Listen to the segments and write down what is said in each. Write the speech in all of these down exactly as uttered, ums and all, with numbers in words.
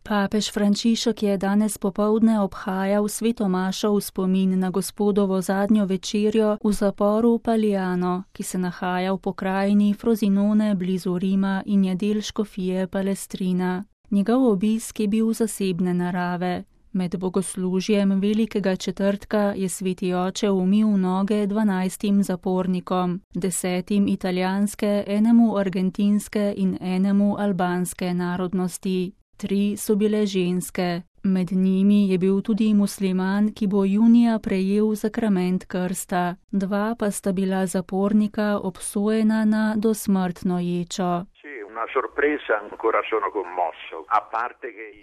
Papež Frančišek je danes popoldne obhajal svetomašo v spomin na Gospodovo zadnjo večerjo v zaporu Paliano, ki se nahaja v pokrajini Frosinone blizu Rima in je del škofije Palestrina. Njegov obisk je bil zasebne narave. Med bogoslužjem velikega četrtka je sveti oče umil noge dvanajstim zapornikom, desetim italijanske, enemu argentinske in enemu albanske narodnosti. Tri so bile ženske. Med njimi je bil tudi musliman, ki bo junija prejel sakrament krsta. Dva pa sta bila zapornika obsojena na dosmrtno ječo.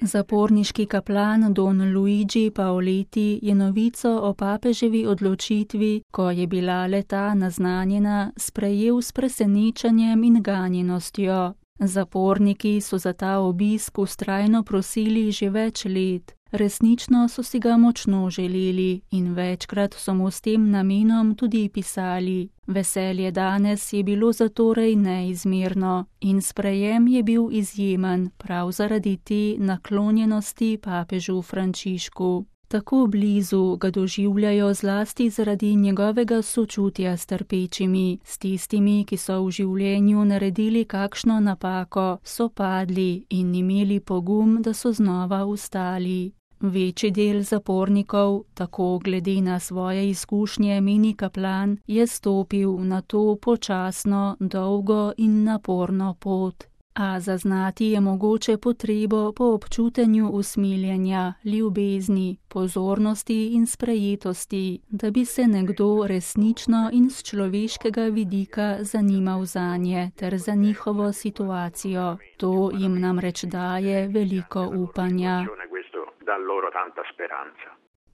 Zaporniški kaplan Don Luigi Paoletti je novico o papeževi odločitvi, ko je bila le-ta naznanjena, sprejel s presenečenjem in ganjenostjo. Zaporniki so za ta obisk vztrajno prosili že več let. Resnično so si ga močno želeli in večkrat so mu s tem namenom tudi pisali. Veselje danes je bilo zatorej neizmerno in sprejem je bil izjemen prav zaradi te naklonjenosti papežu Frančišku. Tako blizu ga doživljajo zlasti zaradi njegovega sočutja s trpečimi, s tistimi, ki so v življenju naredili kakšno napako, so padli in imeli pogum, da so znova vstali. Večji del zapornikov, tako glede na svoje izkušnje meni kaplan, je stopil na to počasno, dolgo in naporno pot. A zaznati je mogoče potrebo po občutenju usmiljenja, ljubezni, pozornosti in sprejetosti, da bi se nekdo resnično in z človeškega vidika zanimal zanje ter za njihovo situacijo. To jim namreč daje veliko upanja.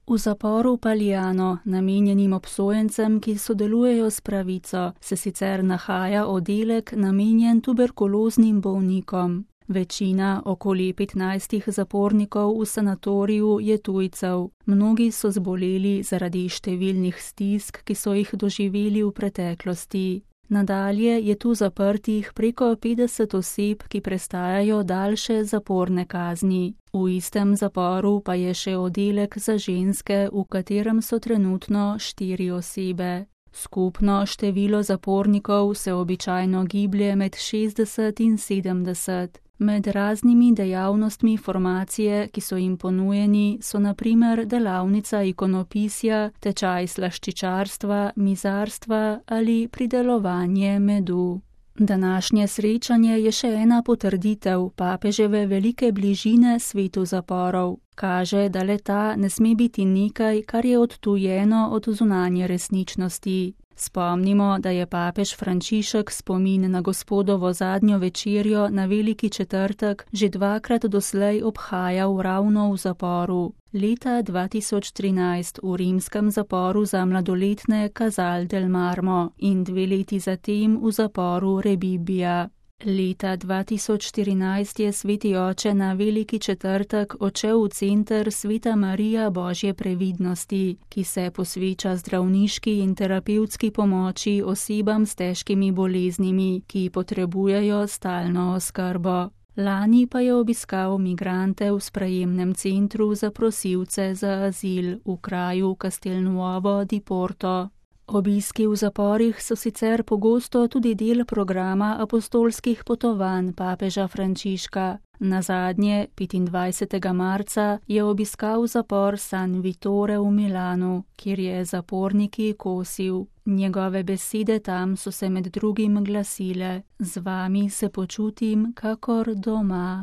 V zaporu Paliano, namenjenim obsojencem, ki sodelujejo s pravico, se sicer nahaja oddelek namenjen tuberkuloznim bolnikom. Večina, okoli petnajstih zapornikov v sanatoriju, je tujcev. Mnogi so zboleli zaradi številnih stisk, ki so jih doživeli v preteklosti. Nadalje je tu zaprtih preko petdeset oseb, ki prestajajo daljše zaporne kazni. V istem zaporu pa je še oddelek za ženske, v katerem so trenutno štiri osebe. Skupno število zapornikov se običajno giblje med šestdeset in sedemdeset. Med raznimi dejavnostmi formacije, ki so jim ponujeni, so na primer delavnica ikonopisja, tečaj slaščičarstva, mizarstva ali pridelovanje medu. Današnje srečanje je še ena potrditev papeževe velike bližine svetu zaporov. Kaže, da le-ta ne sme biti nekaj, kar je odtujeno od zunanje resničnosti. Spomnimo, da je papež Frančišek spomin na Gospodovo zadnjo večerjo na veliki četrtek že dvakrat doslej obhajal ravno v zaporu. Leta dva tisoč trinajst v rimskem zaporu za mladoletne Casal del Marmo in dve leti zatem v zaporu Rebibbia. Leta dva tisoč štirinajst je sveti oče na veliki četrtek odšel v center Sveta Marija Božje previdnosti, ki se posveča zdravniški in terapevtski pomoči osebam s težkimi boleznimi, ki potrebujejo stalno oskrbo. Lani pa je obiskal migrante v sprejemnem centru za prosilce za azil v kraju Castelnuovo di Porto. Obiski v zaporih so sicer pogosto tudi del programa apostolskih potovanj papeža Frančiška. Nazadnje, petindvajsetega marca, je obiskal zapor San Vittore v Milanu, kjer je zaporniki kosil. Njegove besede tam so se med drugim glasile: "Z vami se počutim kakor doma."